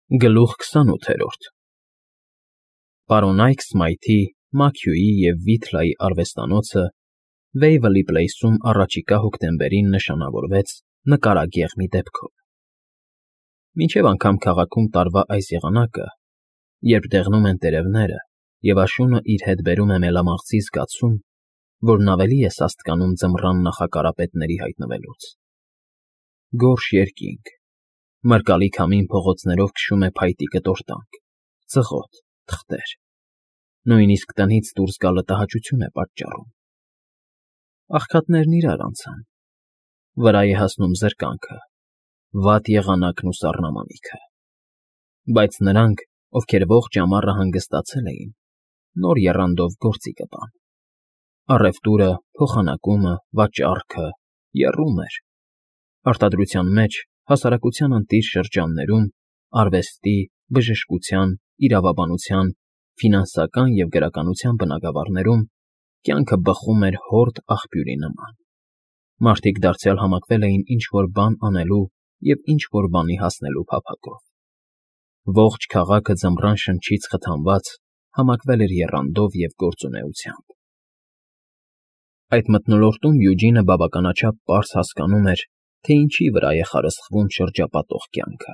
Գլուխ 28 Պարոն Այքսմայթի, Մաքյուի և Վիթլայի արվեստանոցը Վեյվլի Պլեյսում առաջիկա հոկտեմբերին նշանավորվեց նկարագեղմի դեպքով։ Մինչև անգամ քաղաքում տարվա այս եղանակը, երբ դեղնում են տերևները և աշունը իր հետ բերում է մելամաղձի զգացում, որն ավելի է սաստկանում ձմռան նախակարապետների հայտնվելուց։ Գորշ երկինք, մրկալի քամին փողոցներով քշում է փայտի կտորտանք, ծղոտ, թղթեր, նույնիսկ տնից դուրս գալը տհաճություն է պատճառում։ Աղքատներն իրար անցան, վրա է հասնում զրկանքը, վատ եղանակն ու սառնամանիքը։ Բայց նրանք, ովքեր ողջ ամառը հանգստացել էին, նոր եռանդով գործի կպան։ Առևտուրը, փոխանակումը, վաճառքը եռում էր։ Արտադրության մեջ, հասարակության ընտիր շրջաններում, արվեստի, բժշկության, իրավաբանության, ֆինանսական և գրականության բնագավառներում կյանքը բխում էր հորդ աղբյուրի նման։ Մարդիկ դարձյալ համակվել էին ինչ֊որ բան անելու և ինչ֊որ բանի հասնելու փափագով։ Ողջ քաղաքը ձմռան շնչից խթանված համակվել էր եռանդով և գործունեությամբ։ Այդ մթնոլորտում Յուջինը բավականաչափ պարզ հասկանում էր, թե ինչի վրա է խարսխվում շրջապատող կյանքը,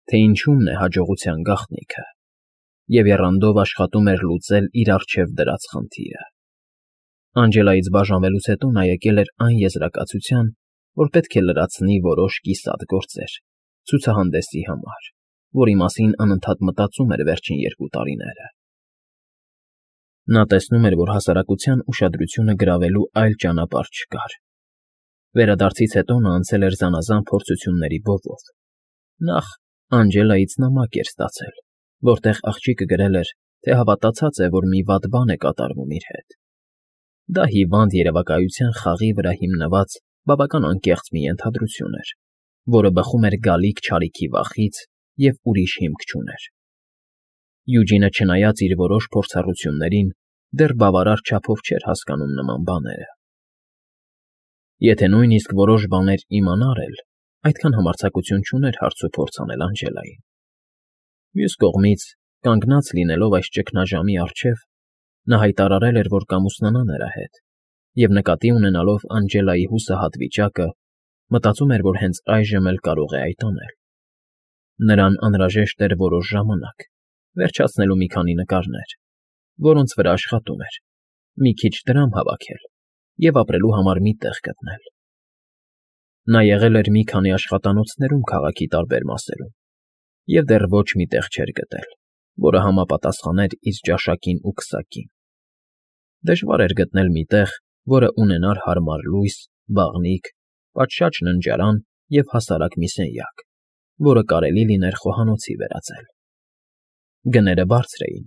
թե ինչումն է հաջողության գաղտնիքը, և եռանդով աշխատում էր լուծել իր առջև դրած խնդիրը։ Անջելայից բաժանվելուց հետո նա եկել էր այն եզրակացության, որ պետք է լրացնի որոշ կիսատ գործեր ցուցահանդեսի համար, որի մասին անընդհատ մտածում էր վերջին 2 տարիները։ Նա տեսնում էր, որ հասարակության ուշադրությունը գրավելու այլ ճանապարհ չկար։ Վերադարձից հետո նա անցել էր զանազան փորձությունների բովով։ Նախ Անջելայից նամակ էր ստացել, որտեղ աղջիկը գրել էր, թե հավատացած է, որ մի վատ բան է կատարվում իր հետ։ Դա հիվանդ երևակայության խաղի վրա հիմնված բավական անկեղծ մի ենթադրություն էր, որը բխում էր գալիք չարիքի վախից և ուրիշ հիմք չուներ։ Յուջինը, չնայած իր որոշ փորձառություններին, դեռ բավարար չափով չէր հասկանում նման բաները։ Եթե նույնիսկ որոշ բաներ իմանար էլ, այդքան համարձակություն չուներ հարցուփորձ անել Անջելային։ Մյուս կողմից, կանգնած լինելով այս ճգնաժամի առջև, նա հայտարարել էր, որ կամուսնանա նրա հետ, և նկատի ունենալով Անջելայի հուսահատ վիճակը, մտածում էր, որ հենց այժմ էլ կարող է այդ անել։ Նրան անհրաժեշտ էր որոշ ժամանակ, վերջացնելու մի քանի նկարներ, որոնց վրա աշխատում էր, մի քիչ դրամ հավաքել և ապրելու համար մի տեղ գտնել։ Նա եղել էր մի քանի աշխատանոցներում քաղաքի տարբեր մասերում և դեռ ոչ մի տեղ չէր գտել, որը համապատասխաներ իր ճաշակին ու քսակին։ Դժվար էր գտնել մի տեղ, որը ունենար հարմար լույս, բաղնիք, պատշաճ ննջարան և հասարակ մի սենյակ, որը կարելի լիներ խոհանոցի վերածել։ Գները բարձր էին,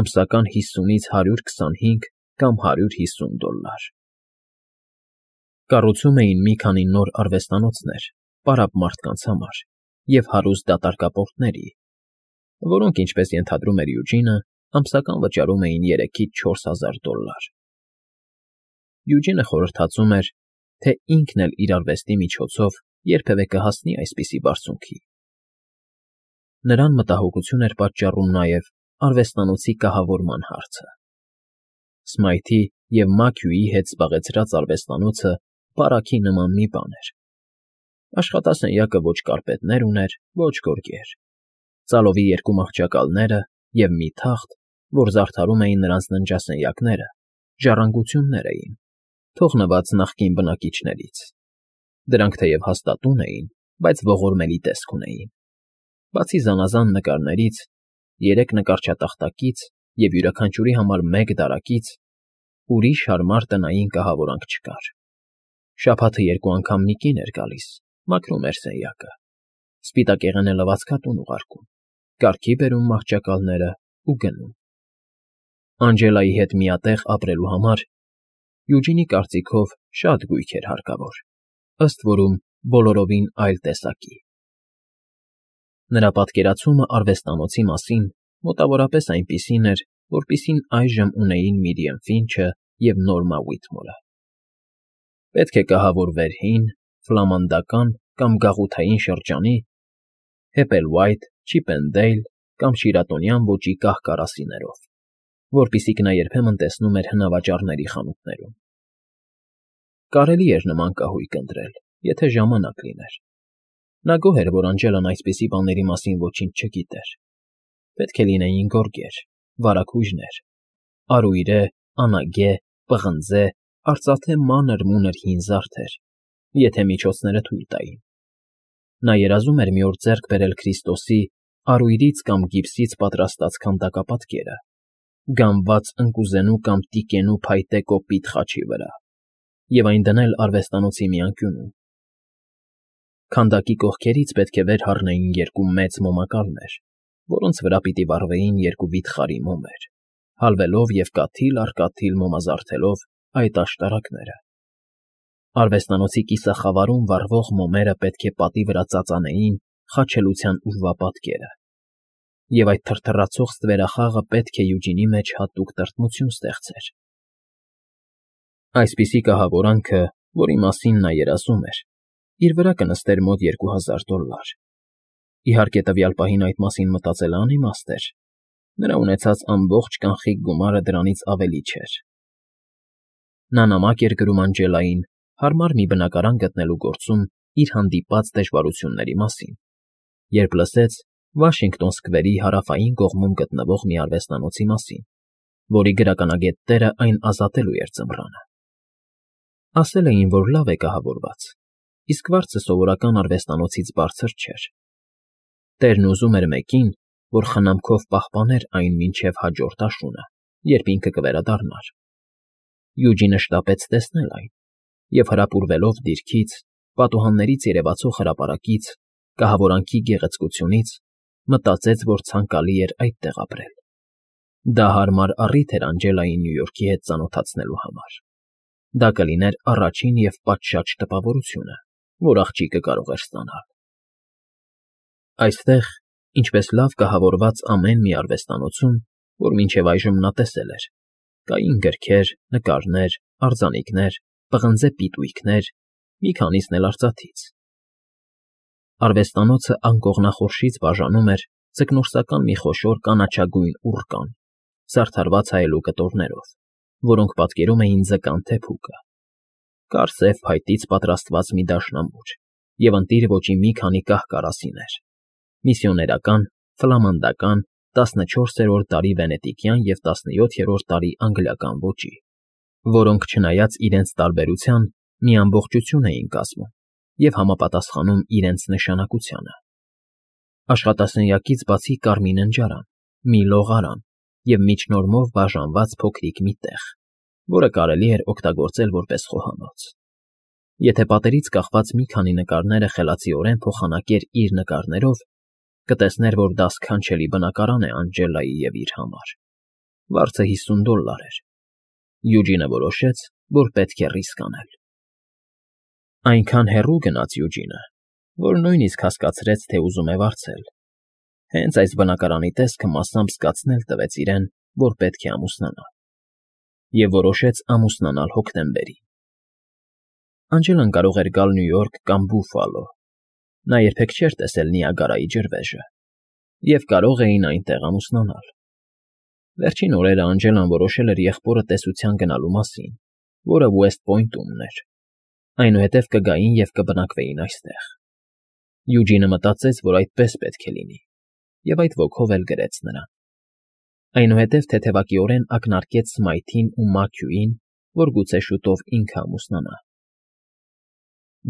ամսական 50-ից 125 կամ $150։ Կառուցում էին մի քանի նոր արվեստանոցներ պարապ մարդկանց համար և հարուստ դատարկապորտների, որոնք, ինչպես ենթադրում էր Յուջինը, ամսական վճարում էին $3000։ Յուջինը խորհրդածում էր, թե ինքն էլ իր արվեստի միջոցով երբևէ կհասնի այսպիսի բարձունքի։ Նրան մտահոգություն էր պատճառում նաև արվեստանոցի կահավորման հարցը։ Սմայթի և Մաքյուի հետ զբաղեցրած արվեստանոցը պարակի նման մի բան էր։ Աշխատասենյակը ոչ կարպետներ ուներ, ոչ գորգեր, ծալովի 2 մահճակալները և մի թախտ, որ զարդարում էին նրանց ննջասենյակները, ժառանգություններ էին, թողնված նախկին բնակիչներից։ Դրանք թեև հաստատուն էին, բայց ողորմելի տեսք ունեին։ Բացի զանազան նկարներից, 3 նկարչատախտակից և յուրաքանչյուրի համար 1 դարակից, ուրիշ հարմար տնային կահավորանք չկար։ Շաբաթը 2 անգամ մի կին էր գալիս, մաքրում էր սենյակը, սպիտակեղենը լվացքատուն ուղարկում, կարգի բերում մահճակալները ու գնում։ Անջելայի հետ միատեղ ապրելու համար Յուջինի կարծիքով շատ գույք էր հարկավոր, ըստ որում բոլորովին այլ տեսակի։ Նրա պատկերացումը արվեստանոցի մասին մոտավորապես այնպիսին էր, որպիսին այժմ ունեին Միրիամ Ֆինչը և Նորմա Ուիթմորը։ Պետք է կահավորվեր հին, ֆլամանդական կամ գաղութային շրջանի, Հեփելվայթ, Չիփենդեյլ կամ շիրատոնյան ոճի կահ֊կարասիներով, որպիսիք նա երբեմն տեսնում էր հնավաճառների խանութներում։ Կարելի էր նման կահույք ընտրել, եթե ժամանակ լիներ։ Նա գոհ էր, որ Անջելան այսպիսի բաների մասին ոչինչ չգիտեր։ Պետք է լինեին գորգեր, վարագույրներ, արույրե, անագե, պղնձե, արծաթե մանր-մունր հին զարդեր, եթե միջոցները թույլ տային։ Նա երազում էր մի օր ձեռք բերել Քրիստոսի արույրից կամ գիպսից պատրաստած քանդակապատկերը, գամված ընկուզենու կամ տիկենու փայտե կոպիտ խաչի վրա, և այն դնել արվեստանոցի մի անկյունում։ Քանդակի կողքերից պետք է վեր հառնեին երկու մեծ մոմակալներ, որոնց վրա պիտի վառվեին երկու վիթխարի մոմեր, հալվելով և կաթիլ առ կաթիլ մոմազարդելով այդ աշտարակները։ Արվեստանոցի կիսախավարում վառվող մոմերը պետք է պատի վրա ծածանեին խաչելության ուրվապատկերը, և այդ թրթռացող ստվերախաղը պետք է Յուջինի մեջ հատուկ տրտմություն ստեղծեր։ Այսպիսի կահավորանքը, որի մասին նա երազում էր, իր վրա կնստեր մոտ $2000։ Իհարկե, տվյալ պահին այդ մասին մտածելը անիմաստ էր, նրա ունեցած ամբողջ կանխիկ գումարը դրանից ավելի չէր։ Նա նամակ էր գրում Անջելային հարմար մի բնակարան գտնելու գործում իր հանդիպած դժվարությունների մասին, երբ լսեց Վաշինգտոն Սքվերի հարավային կողմում գտնվող մի արվեստանոցի մասին, որի գրականագետ տերը այն ազատելու էր ձմռանը։ Ասել էին, որ լավ է կահավորված, իսկ վարձը սովորական արվեստանոցից բարձր չէր։ Տերն ուզում էր մեկին, որ խնամքով պահպաներ այն մինչև հաջորդ աշունը, երբ ինքը կվերադառնար։ Յուջինը շտապեց տեսնել այն, և հրապուրվելով դիրքից, պատուհաններից երևացող հրապարակից, կահավորանքի գեղեցկությունից, մտածեց, որ ցանկալի էր այդտեղ ապրել։ Դա հարմար առիթ էր Անջելային Նյու Յորքի հետ ծանոթացնելու համար։ Դա կլիներ առաջին և պատշաճ տպավորությունը, որ աղջիկը կարող էր ստանալ։ Այստեղ, ինչպես լավ կահավորված ամեն մի արվեստանոցում, որ մինչև այժմ նա տեսել էր, կային գրքեր, նկարներ, արձանիկներ, պղնձե պիտույքներ, մի քանիսն էլ արծաթից։ Արվեստանոցը անկողնախորշից բաժանում էր ձկնորսական մի խոշոր կանաչագույն ուռկան, զարդարված հայելու կտորներով, որոնք պատկերում էին ձկան թեփուկը, կարծև փայտից պատրաստված մի դաշնամուր և ընտիր ոճի մի քանի կահ֊կարասիներ, միսիոներական, ֆլամանդական, 14-րդ դարի վենետիկյան և 17-րդ դարի անգլիական ոճի, որոնք, չնայած իրենց տարբերության, մի ամբողջություն էին կազմում և համապատասխանում իրենց նշանակությանը։ Աշխատասենյակից բացի կար մի ննջարան, մի լողարան և միջնորմով բաժանված փոքրիկ մի տեղ, որը կարելի էր օգտագործել որպես խոհանոց։ Եթե պատերից կախված մի քանի նկարները խելացիորեն փոխանակեր իր նկարներով, կտեսներ, որ դա սքանչելի բնակարան է Անջելայի և իր համար։ Վարձը $50 էր։ Յուջինը որոշեց, որ պետք է ռիսկ անել։ Այնքան հեռու գնաց Յուջինը, որ նույնիսկ հասկացրեց, թե ուզում է վարձել։ Հենց այս բնակարանի տեսքը մասամբ զգացնել տվեց իրեն, որ պետք է ամուսնանա, և որոշեց ամուսնանալ հոկտեմբերին։ Անջելան կարող էր գալ Նյու Յորք կամ Բուֆալո, նա երբեք չէր տեսել Նիագարայի ջրվեժը, և կարող էին այնտեղ ամուսնանալ։ Վերջին օրերը Անջելան որոշել էր եղբորը տեսության գնալու մասին, որը Ուեսթ Պոյնտումն էր, այնուհետև կգային և կբնակվեին այստեղ։ Յուջինը մտածեց, որ այդպես պետք է լինի, և այդ ոգով էլ գրեց նրան։ Այնուհետև թեթևակիորեն ակնարկեց Սմայթին ու Մաքքյուին, որ գուցե շուտով ինքը ամուսնանա։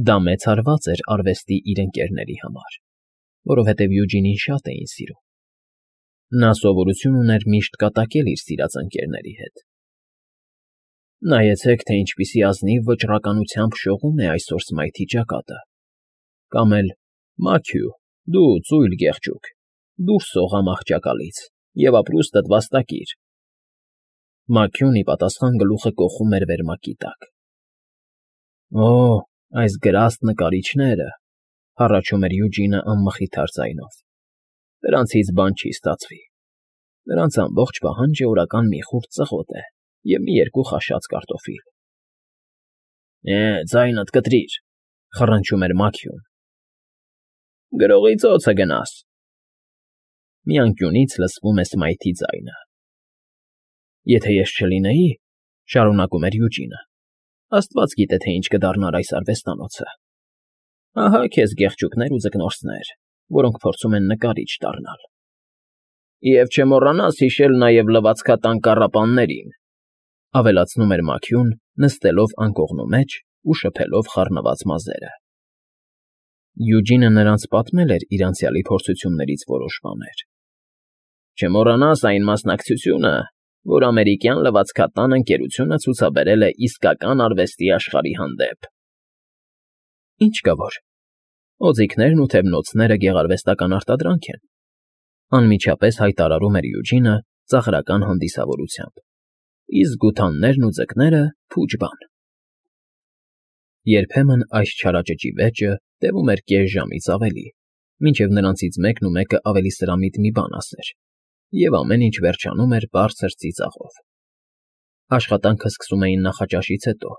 Դա մեծ հարված էր արվեստի իր ընկերների համար, որովհետև Յուջինին շատ էին սիրում։ Նա սովորություն ուներ միշտ կատակել իր սիրած ընկերների հետ։ Նայեցեք, թե ինչպիսի ազնիվ վճռականությամբ շողում է այսօր Սմայթի ճակատը, կամ էլ Մաքքյու, դու ծույլ գեղջուկ, դուրս սողա մահճակալից և ապրուստդ վաստակիր։ Մաքքյուն ի պատասխան գլուխը կոխում էր վերմակի տակ։ Օ, այս գրաստ նկարիչները, հառաչում էր Յուջինը անմխիթար ձայնով, դրանցից բան չի ստացվի։ Նրանց ամբողջ պահանջը օրական մի խուրձ ծղոտ է և մի երկու խաշած կարտոֆիլ։ Ձայնդ կտրիր, խռնչում էր Մաքքյուն։ Գրողի ծոցը գնաս։ Մի անկյունից լսվում է Սմայթի ձայնը։ Եթե ես չլինեի, շարունակում էր Յուջինը, աստված գիտե, թե ինչ կդառնար այս արվեստանոցը։ Ահա քեզ գեղչուկներ ու ձկնորսներ, որոնք փորձում են նկարիչ դառնալ։ Եվ չմոռանաս հիշել նաև լվացքատան կառապաններին, ավելացնում էր Մաքիուն, նստելով անկողնու մեջ ու շփելով խառնված մազերը։ Յուջինը նրանց պատմել էր իր անցյալի փորձություններից որոշ բաներ։ Չմոռանաս այն մասնակցությունը, որ ամերիկյան լվացքատան ընկերությունը ցուցաբերել է իսկական արվեստի աշխարհի հանդեպ։ Ինչ կա որ։ Օձիքներն ու թևնոցները գեղարվեստական արտադրանք են, անմիջապես հայտարարում էր Յուջինը ծաղրական հանդիսավորությամբ, իսկ գութաններն ու ձկները փուջ բան։ Երբեմն այս չարաճճի վեճը տևում էր կես ժամից ավելի, մինչև նրանցից մեկն ու մեկը ավելի սրամիտ մի բան ասեր, և ամեն ինչ վերջանում էր բարձր ծիծաղով։ Աշխատանքը սկսում էին նախաճաշից հետո,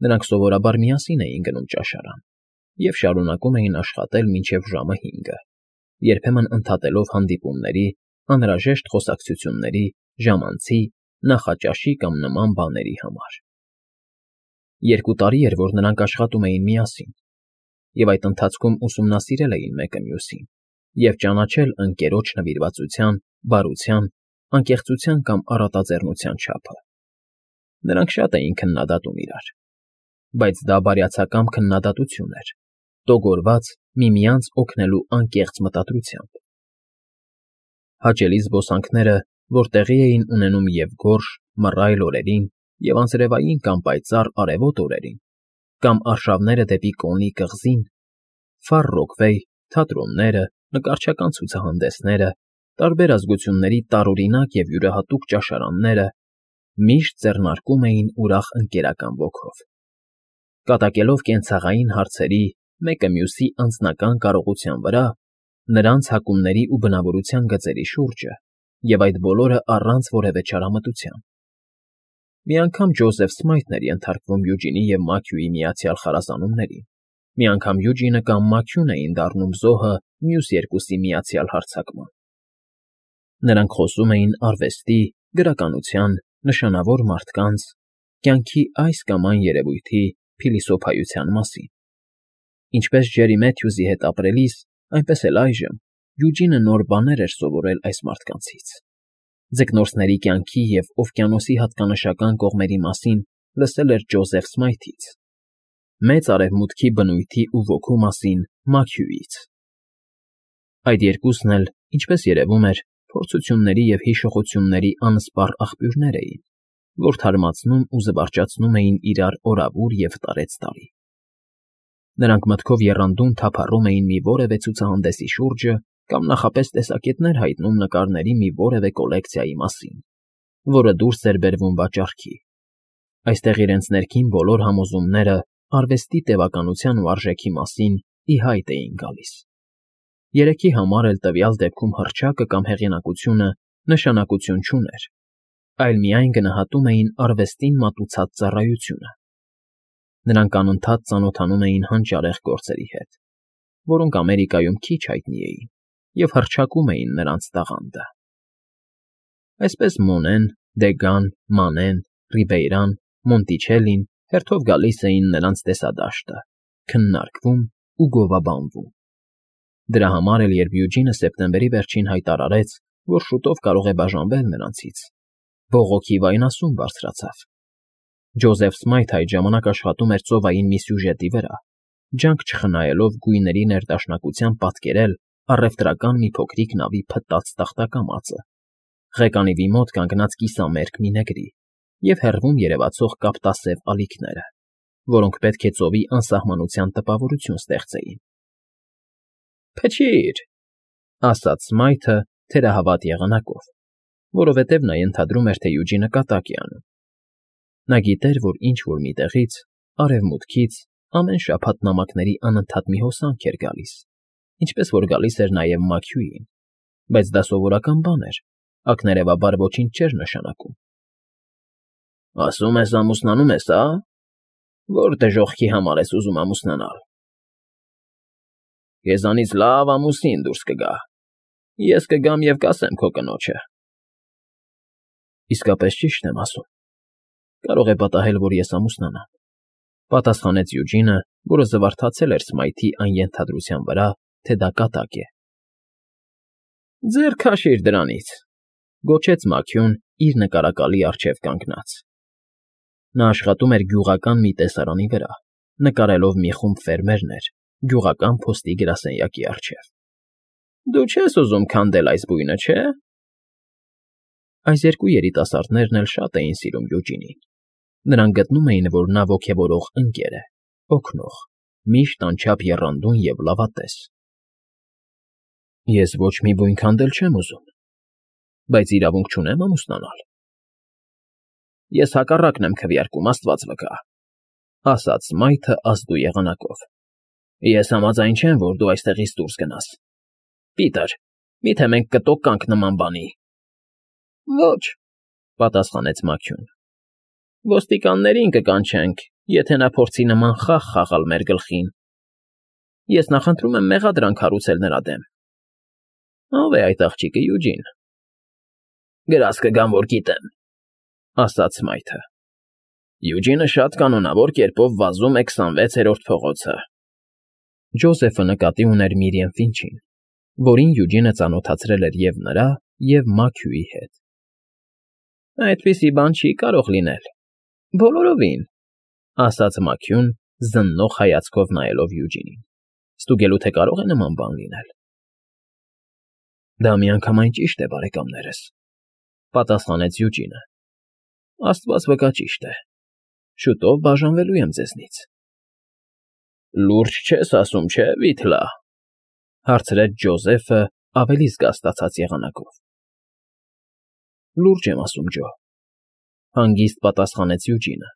նրանք սովորաբար միասին էին գնում ճաշարան և շարունակում էին աշխատել մինչև ժամը 5, երբեմն ընդհատելով հանդիպումների, անհրաժեշտ խոսակցությունների, ժամանցի, նախաճաշի կամ նման բաների համար։ 2 տարի էր, որ նրանք աշխատում էին միասին, և այդ ընթացքում ուսումնասիրել էին մեկը մյուսին և ճանաչել ընկերոջ նվիրվածության, բարության, անկեղծության կամ առատաձեռնության չափը։ Նրանք շատ էին քննադատում իրար, բայց դա բարյացակամ քննադատություն էր, տոգորված միմյանց օգնելու անկեղծ մտադրությամբ։ Հաճելի զբոսանքները, որ տեղի էին ունենում և գորշ, մռայլ օրերին, և անձրևային կամ պայծառ արևոտ օրերին, կամ արշավները դեպի Կոնի կղզին, Ֆար Ռոքվեյ, թատրոնները, նկարչական ցուցահանդեսները, տարբեր ազգությունների տարօրինակ և յուրահատուկ ճաշարանները միշտ ձեռնարկում էին ուրախ ընկերական ոգով։ Կատակելով կենցաղային հարցերի, մեկը մյուսի անձնական կարողության վրա, նրանց հակումների ու բնավորության գծերի շուրջը, և այդ բոլորը առանց որևէ չարամտության։ Մի անգամ Ջոզեֆ Սմայթն էր ենթարկվում Յուջինի և Մաքյուի միացյալ խարազանումներին, մի անգամ Յուջինը կամ Մաքյուն էին դառնում զոհը մյուս երկուսի միացյալ հարձակման։ Նրանք խոսում էին արվեստի, գրականության, նշանավոր մարդկանց, կյանքի այս կամ այն երևույթի փիլիսոփայության մասին։ Ինչպես Ջերի Մեթյուզի հետ ապրելիս, այնպես էլ այժմ Յուջինը նոր բաներ էր սովորել այս մարդկանցից։ Ձկնորսների կյանքի և օվկիանոսի հատկանշական կողմերի մասին լսել էր Ջոզեֆ Սմայթից, Մեծ Արևմուտքի բնույթի ու ոգու մասին Մաքյուից։ Այդ երկուսն էլ, ինչպես երևում էր, փորձությունների և հիշողությունների անսպառ աղբյուրներ էին, որ թարմացնում ու զվարճացնում էին իրար օրավուր և տարեցտարի։ Նրանք մտքով եռանդուն թափառում էին մի որևէ ցուցահանդեսի շուրջը կամ նախապես տեսակետներ հայտնում նկարների մի որևէ կոլեկցիայի մասին, որը դուրս էր բերվում վաճառքի։ Այստեղ իրենց ներքին բոլոր համոզումները արվեստի տևականության ու արժեքի մասին ի հայտ էին գալիս։ Երեքի համար էլ տվյալ դեպքում հռչակը կամ հեղինակությունը նշանակություն չուներ, այլ միայն գնահատում էին արվեստին մատուցած ծառայությունը։ Նրանք անընդհատ ծանոթանում էին հանճարեղ գործերի հետ, որոնք Ամերիկայում քիչ հայտնի էին, և հռչակում էին նրանց տաղանդը։ Այսպես Մոնեն, Դեգան, Մանեն, Ռիբեյրան, Մոնտիչելին հերթով գալիս էին նրանց տեսադաշտը, քննարկվում ու գովաբանվում։ Դրա համար էլ, երբ Յուջինը սեպտեմբերի վերջին հայտարարեց, որ շուտով կարող է բաժանվել նրանցից, բողոքի վայնասուն բարձրացավ։ Ջոզեֆ Սմայթը այդ ժամանակ աշխատում էր ծովային մի սյուժետի վրա, ջանք չխնայելով գույների ներդաշնակությամբ պատկերել առևտրական մի փոքրիկ նավի փտած տախտակամածը, ղեկանիվի մոտ կանգնած կիսամերկ մի նեգրի և հեռվում երևացող կապտասև ալիքները, որոնք պետք է ծովի անսահմանության տպավորություն ստեղծեին։ «Փչի՛ր,֊ ասաց Սմայթը թերահավատ եղանակով, որովհետև նա ենթադրում էր, թե Յուջինը կատակ է անում։ Նա գիտեր, որ ինչ֊որ միտեղից, արևմուտքից, ամեն շաբաթ նամակների անընդհատ մի հոսանք էր գալիս, ինչպես որ գալիս էր նաև Մաքյուին, բայց դա սովորական բան էր, ակներևաբար ոչինչ չէր նշանակում։ «Ասում ես ամուսնանում ես, ա՞… Որ դժոխքի համար ես ուզում ամուսնանալ»։ Քեզանից լավ ամուսին դուրս կգա։ Ես կգամ և կասեմ քո կնոջը։ Իսկապես ճիշտ եմ ասում։ Կարող է պատահել, որ ես ամուսնանամ, պատասխանեց Յուջինը, որը զվարթացել էր Սմայթի այն ենթադրության վրա, թե դա կատակ է։ Ձեռ քաշիր դրանից, գոչեց Մաքյուն իր նկարակալի առջև կանգնած։ Նա աշխատում էր գյուղական մի տեսարանի վրա, նկարելով մի խումբ ֆերմերներ գյուղական փոստի գրասենյակի առջև։ Դու չես ուզում քանդել այս բույնը, չէ՞։ Այս երկու երիտասարդներն էլ շատ էին սիրում Յուջինին։ Նրանք գտնում էին, որ նա ոգևորող ընկեր է, օգնող, միշտ անչափ եռանդուն և լավատես։ Ես ոչ մի բույն քանդել չեմ ուզում, բայց իրավունք չունեմ ամուսնանալ։ Ես հակառակն եմ քվեարկում, Աստված վկա, ասաց Սմայթը ազդու եղանակով։ Ես համաձայն չեմ, որ դու այստեղից դուրս գնաս։ Պիտեր, միթե մենք կտոկ կանք նման բանի։ Ոչ, պատասխանեց Մաքյուն։ Ոստիկաններին կկանչենք, եթե նա փորձի նման խաղ խաղալ մեր գլխին։ Ես նախընտրում եմ մեղադրանք հարուցել նրա դեմ։ Ո՞վ է այդ աղջիկը, Յուջին։ Գրած կգամ, որ գիտեմ, ասաց Սմայթը։ Յուջինը շատ կանոնավոր կերպով վազում է 26-րդ փողոցը։ Ջոզեֆը նկատի ուներ Միրիամ Ֆինչին, որին Յուջինը ծանոթացրել էր և նրա, և Մաքյուի հետ։ Այդպիսի բան չի կարող լինել։ Բոլորովին, ասաց Մաքյուն, զննող հայացքով նայելով Յուջինին։ Ստուգելու թե կարող է նման բան լինել։ Դա միանգամայն ճիշտ է, բարեկամներս, պատասխանեց Յուջինը։ Աստված վկա ճիշտ է։ Շուտով բաժանվելու եմ ձեզնից։ Լուրջ չես ասում, չէ՞, Վիթլա, հարցրեց Ջոզեֆը ավելի զգաստացած եղանակով։ Լուրջ եմ ասում, Ջո, հանգիստ պատասխանեց Յուջինը։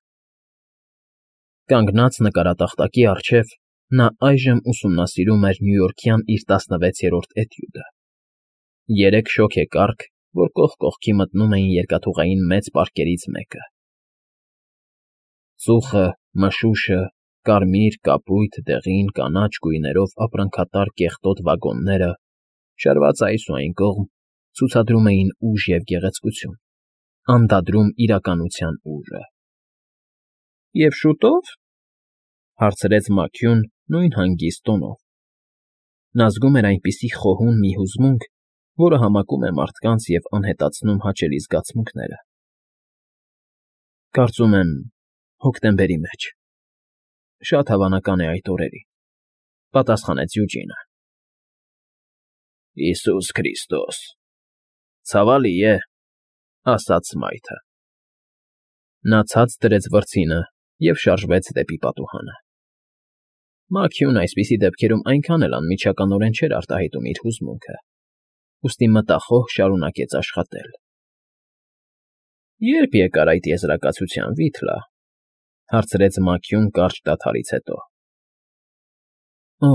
Կանգնած նկարատախտակի առջև նա այժմ ուսումնասիրում էր նյույորքյան իր 16-րդ էտյուդը։ 3 շոգեկառք, որ կողք կողքի մտնում էին երկաթուղային մեծ պարկերից մեկը։ Ծուխը, մշուշը, կարմիր, կապույտ, դեղին, կանաչ գույներով ապրանքատար կեղտոտ վագոնները, շարված այս ու այն կողմ, ցուցադրում էին ուժ և գեղեցկություն, անդադրում իրականության ուժը։ Եվ շուտո՞վ, հարցրեց Մաքյուն նույն հանգիստ տոնով։ Նա զգում էր այնպիսի խոհուն մի հուզմունք, որը համակում է մարդկանց և անհետացնում հաճելի զգացմունքները։ Կարծում եմ, հոկտեմբերի մեջ։ Շատ հավանական է այդ օրերին, պատասխանեց Յուջինը։ Հիսուս Քրիստոս, ցավալի է, ասաց Սմայթը։ Նա ցած դրեց վրձինը և շարժվեց դեպի պատուհանը։ Մաքյուն այսպիսի դեպքերում այնքան էլ անմիջականորեն չէր արտահայտում իր հուզմունքը, ուստի մտախոհ շարունակեց աշխատել։ Ե՞րբ եկար այդ եզրակացության, Վիթլա, հարցրեց Մաքյուն կարճ դադարից հետո։ Օ,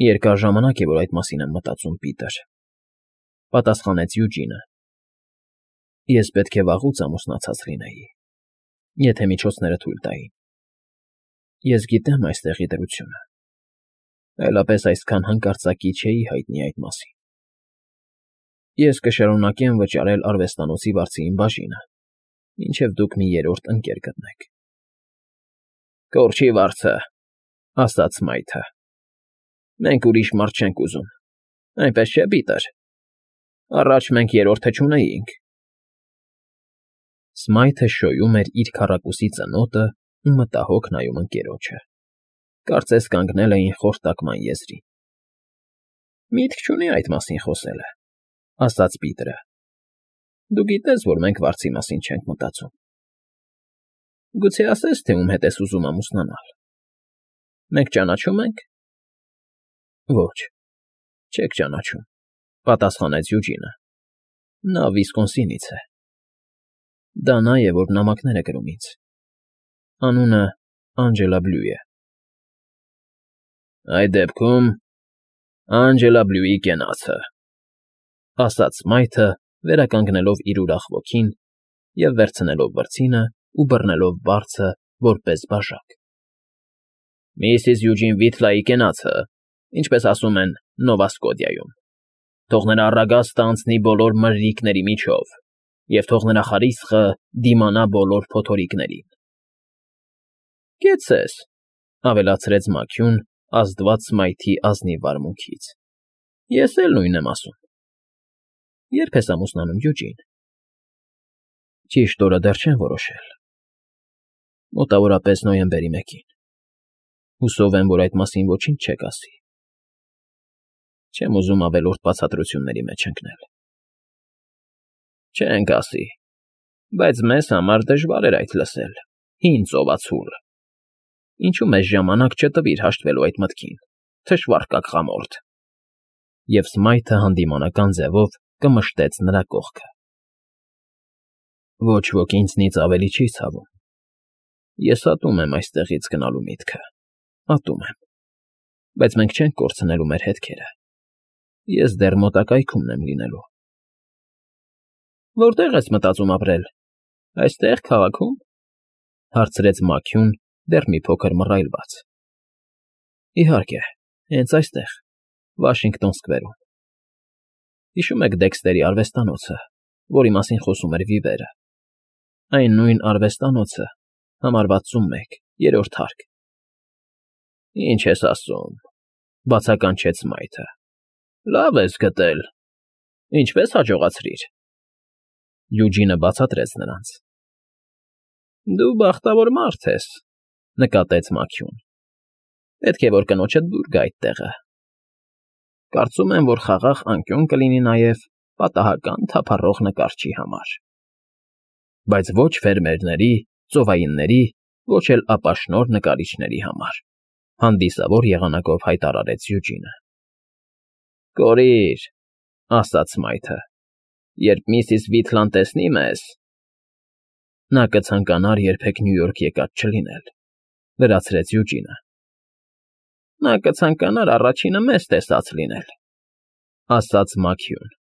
երկար ժամանակ է, որ այդ մասին եմ մտածում, Պիտեր, պատասխանեց Յուջինը։ Ես պետք է վաղուց ամուսնացած լինեի, եթե միջոցները թույլ տային։ Ես գիտեմ այստեղի դրությունը, այլապես այսքան հանկարծակի չէի հայտնի այդ մասին։ Ես կշարունակեմ վճարել արվեստանոցի վարձին բաժինը, մինչև դուք մի երրորդ ընկեր գտնեք։ Կորչի վարձը, ասաց Սմայթը։ Մենք ուրիշ մարդ չենք ուզում, այնպես չէ, Պիտեր։ Առաջ մենք երրորդը չունեինք։ Սմայթը շոյում էր իր քառակուսի ծնոտը ու մտահոգ նայում ընկերոջը։ Կարծես կանգնել էին խորտակման եզրին։ Միտք չունի այդ մասին խոսելը, ասաց Պիտերը։ Դու գիտես, որ մենք վարձի մասին չենք մտածում։ Գուցե ասես, թե ում հետ ես ուզում ամուսնանալ։ Մենք ճանաչում ենք։ Ոչ, չեք ճանաչում, պատասխանեց Յուջինը։ Նա Վիսկոնսինից է։ Դա նա է, որ նամակներ է գրում ինձ։ Անունը Անջելա Բլյու է։ Այդ դեպքում Անջելա Բլյուի կենացը, ասաց Սմայթը, վերականգնելով իր ուրախ ոգին և վերցնելով վրձինը ու բռնելով բարձը, որպես բաժակ։ Միսիս Յուջին Վիթլայի կենացը, ինչպես ասում են Նովա Սկոտիայում։ Թող նրա առագաստը անցնի բոլոր մրրիկների միջով, և թող նրա խարիսխը դիմանա բոլոր փոթորիկներին։ Կեցցես, ավելացրեց Մաքիուն, ազդված Սմայթի ազնիվ վարմունքից։ Ես էլ նույնն եմ ասում։ Ե՞րբ ես ամուսնանում, Յուջին։ Ճիշտ օրը դեռ չեմ որոշել։ Մոտավորապես նոյեմբերի 1-ին։ Հուսով եմ, որ այդ մասին ոչինչ չեք ասի։ Չեմ ուզում ավելորդ բացատրությունների մեջ ընկնել։ Չենք ասի, բայց մեզ համար դժվար էր այդ լսել, հին ծովածուլ։ Ինչու մեզ ժամանակ չտվիր հաշտվելու այդ մտքին, թշվառ կակղամորթ։ Եվ Սմայթը հանդիմանական ձևով կմշտեց նրա կողքը։ Ոչ ոք ինձնից ավելի չի ցավում։ Ես ատում եմ այստեղից գնալու միտքը, ատում եմ, բայց մենք չենք կորցնելու մեր հետքերը։ Ես դեռ մոտակայքում եմ լինելու։ Որտե՞ղ ես մտածում ապրել։ Այստեղ քաղաքում, հարցրեց Մաքիուն, դեռ մի փոքր մռայլված։ Իհարկե, հենց այստեղ, Վաշինգտոն Սքվերում։ Հիշում եք Դեքստերի արվեստանոցը, որի մասին խոսում էր Վիվերը։ Այն նույն արվեստանոցը, համար 61, 3-րդ հարկ։ Ինչ ես ասում, բացականչեց Սմայթը։ Լավ ես գտել։ Ինչպես հաջողացրիր։ Յուջինը բացատրեց նրանց։ Դու բախտավոր մարդ ես, նկատեց Մաքիուն։ Պետք է որ կնոջդ դուր գա այդ տեղը։ Կարծում եմ, որ խաղաղ անկյուն կլինի նաև պատահական թափառող նկարչի համար։ Բայց ոչ ֆերմերների, ծովայինների, ոչ էլ ապաշնոր նկարիչների համար, հանդիսավոր եղանակով հայտարարեց Յուջինը։ Կորիր, ասաց Սմայթը, երբ միսիս Վիթլան տեսնի մեզ… Նա կցանկանար երբեք Նյու Յորք եկած չլինել, լրացրեց Յուջինը։ Նա կցանկանար առաջինը մեզ տեսած լինել, ասաց Մաքիուն։